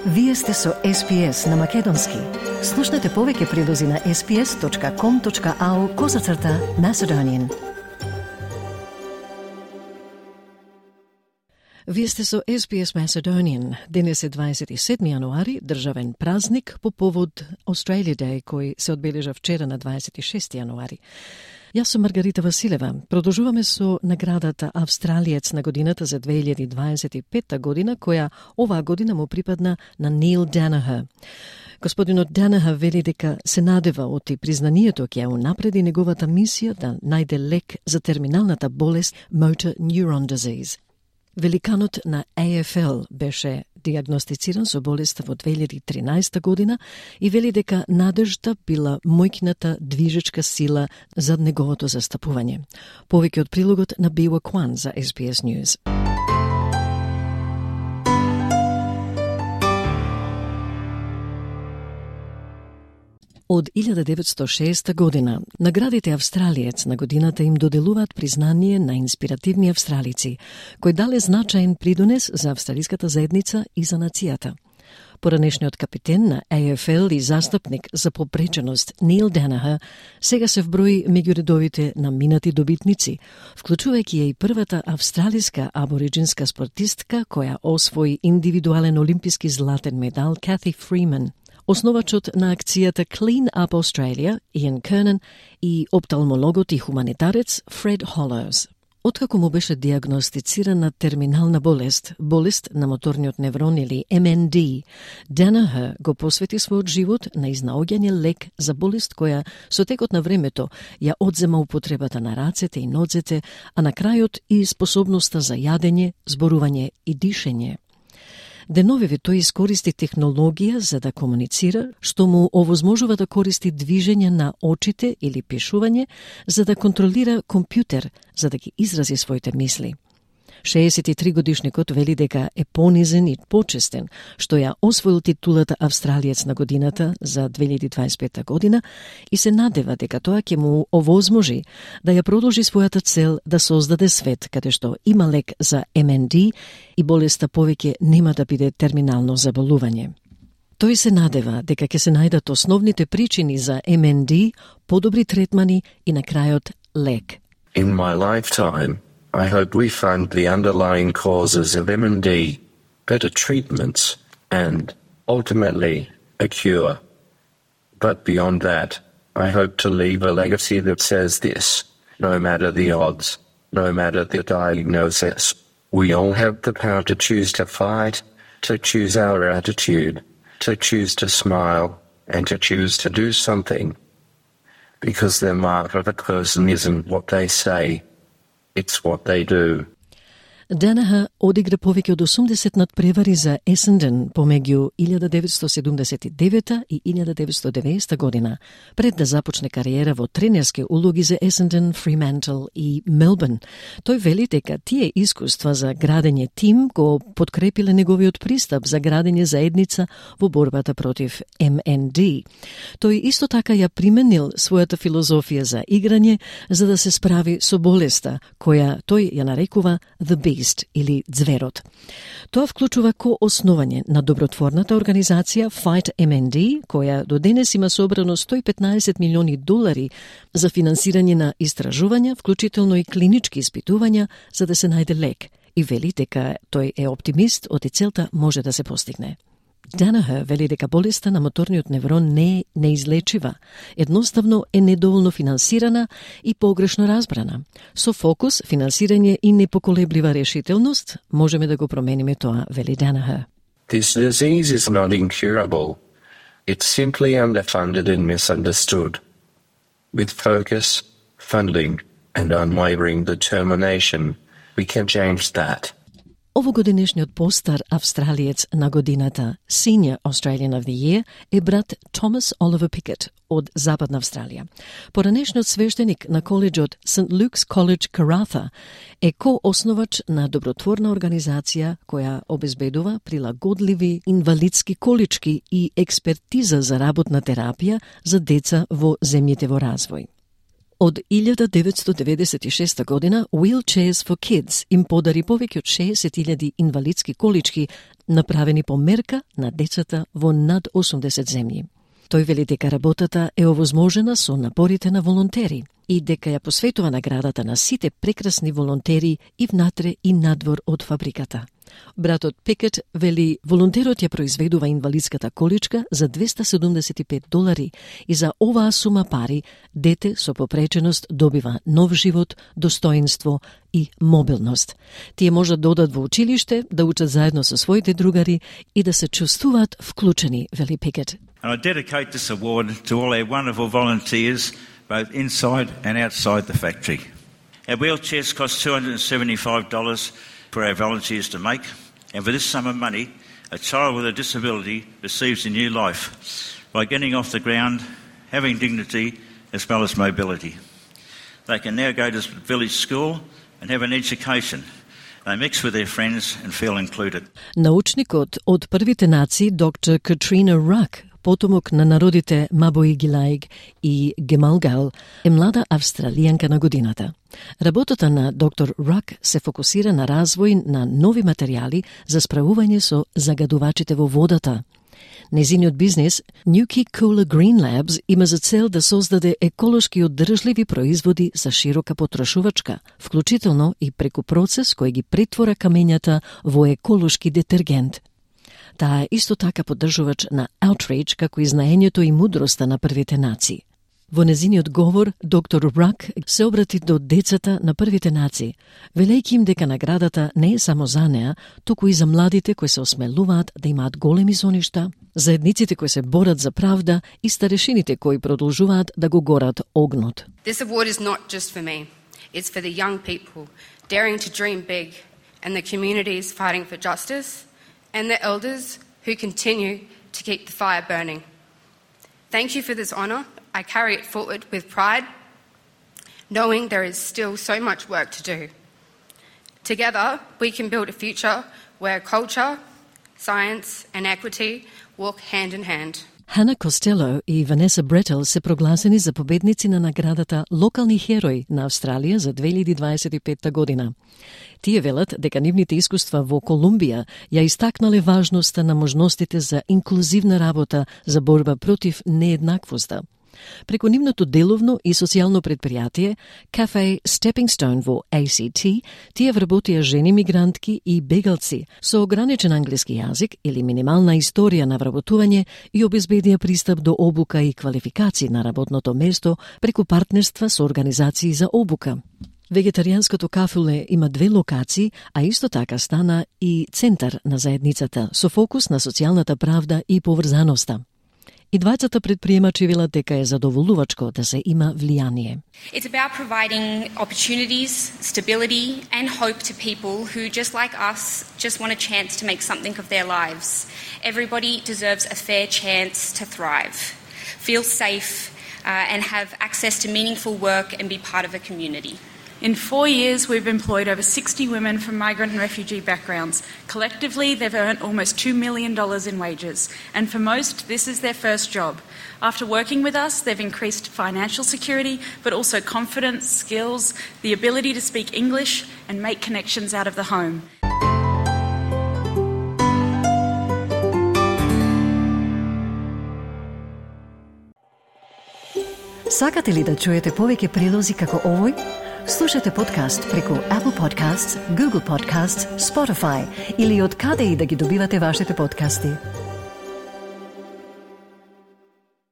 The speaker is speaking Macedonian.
Вие сте со SPS на Македонски. Слушнете повеќе прилози на sps.com.au/Macedonian. Вие сте со SPS Macedonian. Денес е 27 јануари, државен празник по повод Australia Day, кој се одбележа вчера на 26 јануари. Јас сум Маргарита Василева. Продолжуваме со наградата Австралиец на годината за 2025 година, која оваа година му припадна на Нил Данахер. Господинот Данахер вели дека се надева оти признанието ќе унапреди неговата мисија да најде лек за терминалната болест Motor Neuron Disease. Великанот на AFL беше диагностициран со болеста во 2013 година и вели дека надежта била мојкната движечка сила за неговото застапување. Повеќе од прилогот на Биwa Kwan за SBS News. Од 1906 година, наградите Австралиец на годината им доделуваат признание на инспиративни австралици, кои дале значаен придонес за австралиската заедница и за нацијата. Поранешниот капитен на AFL и застапник за попреченост Нил Данахер сега се вброи меѓу редовите на минати добитници, вклучувајќи ја и првата австралиска абориджинска спортистка која освои индивидуален олимписки златен медал Cathy Freeman. Основачот на акцијата Clean Up Australia, Ian Kernan, и опталмологот и хуманитарец Фред Холоус. Откако му беше диагностицирана терминална болест на моторниот неврон или MND, Данахер го посвети својот живот на изнаоѓање лек за болест која со текот на времето ја одзема употребата на рацете и нозете, а на крајот и способноста за јадење, зборување и дишење. Деновиве тој искористи технологија за да комуницира, што му овозможува да користи движење на очите или пишување, за да контролира компјутер, за да ги изрази своите мисли. 63 годишникот вели дека е понизен и почестен, што ја освоил титулата Австралиец на годината за 2025 година и се надева дека тоа ќе му овозможи да ја продолжи својата цел да создаде свет каде што има лек за MND и болеста повеќе нема да биде терминално заболување. Тој се надева дека ќе се најдат основните причини за MND, подобри третмани и на крајот лек. In my lifetime, I hope we find the underlying causes of MND, better treatments, and, ultimately, a cure. But beyond that, I hope to leave a legacy that says this: no matter the odds, no matter the diagnosis, we all have the power to choose to fight, to choose our attitude, to choose to smile, and to choose to do something. Because the mark of a person isn't what they say, it's what they do. Данахер одигра повеќе од 80 надпревари за Essendon помеѓу 1979 и 1990 година, пред да започне кариера во тренерски улоги за Essendon, Fremantle и Melbourne. Тој вели дека тие искуства за градење тим го подкрепиле неговиот пристап за градење заедница во борбата против MND. Тој исто така ја применил својата филозофија за играње за да се справи со болеста, која тој ја нарекува The Beast или Зверот. Тоа вклучува основање на добротворната организација Fight MND, која до денес има собрано $115 милиони за финансирање на истражувања, вклучително и клинички испитувања, за да се најде лек, и вели дека тој е оптимист оти целта може да се постигне. Данахер вели дека болеста на моторниот неврон не е неизлечива, едноставно е недоволно финансирана и погрешно разбрана. Со фокус, финансирање и непоколеблива решителност можеме да го промениме тоа, вели Данахер. This disease is not incurable. It's simply underfunded and misunderstood. With focus, funding, and unwavering determination, we can change that. Овогодинешниот постар австралиец на годината, Senior Australian of the Year, е брат Томас Оливер Пикет од Западна Австралија. Поранешниот свештеник на коледжот St. Luke's College Karratha е коосновач на добротворна организација која обезбедува прилагодливи инвалидски колички и експертиза за работна терапија за деца во земјите во развој. Од 1996 година Wheelchairs for Kids им подари повеќе од 60.000 инвалидски колички направени по мерка на децата во над 80 земји. Тој вели дека работата е овозможена со напорите на волонтери и дека ја посветува наградата на сите прекрасни волонтери и внатре и надвор од фабриката. Братот Пикет вели волонтерот ја произведува инвалидската количка за $275 и за оваа сума пари дете со попреченост добива нов живот, достоинство и мобилност. Тие можат да одат во училиште, да учат заедно со своите другари и да се чувствуваат вклучени, вели Пикет. And I dedicate this award to all our wonderful volunteers, both inside and outside the factory. Our wheelchairs cost $275 for our volunteers to make, and for this sum of money, a child with a disability receives a new life by getting off the ground, having dignity as well as mobility. They can now go to village school and have an education. They mix with their friends and feel included. Научникот од првите нации, доктор Катрина Рак, потомок на народите Мабои Гилаиг и Гемалгал, е млада австралијанка на годината. Работата на доктор Рак се фокусира на развој на нови материјали за справување со загадувачите во водата. Незиниот бизнес, Nuki Cooler Green Labs, има за цел да создаде еколошки одржливи производи за широка потрошувачка, вклучително и преку процес кој ги претвора камењата во еколошки детергент. Таа е исто така поддржувач на Outreach, како и знаењето и мудроста на првите нации. Во незиниот говор, доктор Рак се обрати до децата на првите нации, велејќи им дека наградата не е само за неа, туку и за младите кои се осмелуваат да имаат големи соништа, заедниците кои се борат за правда и старешините кои продолжуваат да го горат огнот. This award is not just for me. It's for the young people daring to dream big and the communities fighting for justice and the elders who continue to keep the fire burning. Thank you for this honour. I carry it forward with pride, knowing there is still so much work to do. Together, we can build a future where culture, science and equity walk hand in hand. Хана Костело и Ванеса Бретел се прогласени за победници на наградата Локални херои на Австралија за 2025 година. Тие велат дека нивните искуства во Колумбија ја истакнале важноста на можностите за инклузивна работа за борба против нееднаквоста. Преку нивното деловно и социјално предпријатие, Cafe Stepping Stone во ACT, тие вработија жени мигрантки и бегалци со ограничен англиски јазик или минимална историја на вработување и обезбедија пристап до обука и квалификации на работното место преку партнерства со организации за обука. Вегетаријанското кафуле има 2 локации, а исто така стана и центар на заедницата со фокус на социјалната правда и поврзаноста. И двајцата предприемачи велат дека е задоволувачко да се има влијание. It's about providing opportunities, stability and hope to people who, just like us, just want a chance to make something of their lives. Everybody deserves a fair chance to thrive, feel safe and have access to meaningful work and be part of a community. In 4 years, we've employed over 60 women from migrant and refugee backgrounds. Collectively, they've earned almost $2 million in wages. And for most, this is their first job. After working with us, they've increased financial security, but also confidence, skills, the ability to speak English and make connections out of the home. Сакате ли да чуете повеќе прилози како овој? Слушате подкаст преку Apple Podcasts, Google Podcasts, Spotify или од каде и да ги добивате вашите подкасти.